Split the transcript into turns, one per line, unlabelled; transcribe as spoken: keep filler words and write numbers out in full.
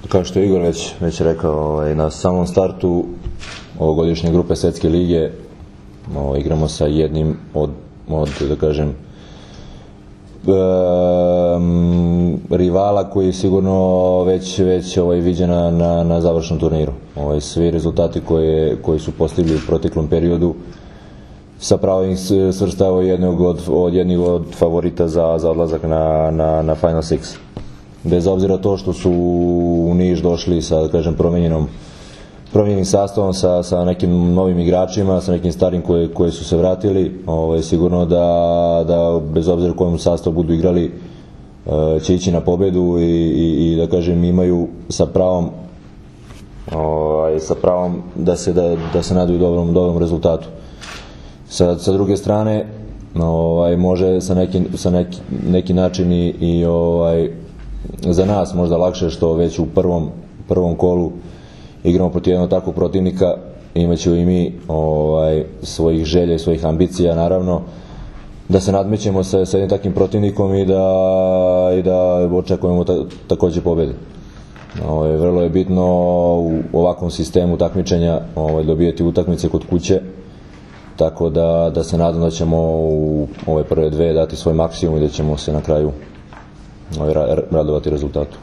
Kao što je Igor već, već rekao, ovaj, na samom startu ovogodišnje grupe Svetske lige ovaj, igramo sa jednim od, od da kažem, um, rivala koji je sigurno već, već ovaj, viđen na, na, na završnom turniru. Ovaj, svi rezultati koje, koji su postigli u proteklom periodu sa pravom ih svrstavao jednog od, od jednih od favorita za, za odlazak na, na, na Final Six. Bez obzira to što su u Niš došli sa, da kažem, promenjenom promijenjenim sastavom, sa, sa nekim novim igračima, sa nekim starim koje, koje su se vratili, ovaj, sigurno da, da bez obzira u kojem sastavu budu igrali će ići na pobedu i, i, i da kažem imaju sa pravom ovaj, sa pravom da se, da, da se nadaju dobrom, dobrom rezultatu. Sa, sa druge strane ovaj, može sa neki, sa neki, neki način i, i ovaj, za nas možda lakše što već u prvom, prvom kolu igramo protiv jednog takvog protivnika, imaćemo i mi ovaj, svojih želja i svojih ambicija naravno da se nadmećemo sa, sa jednim takvim protivnikom i da, i da očekujemo ta, također pobjede. Ovaj, vrlo je bitno u ovakvom sistemu takmičenja ovaj, dobijeti utakmice kod kuće, tako da, da se nadam da ćemo u ove prve dve dati svoj maksimum i da ćemo se na kraju ovaj, radovati rezultatu.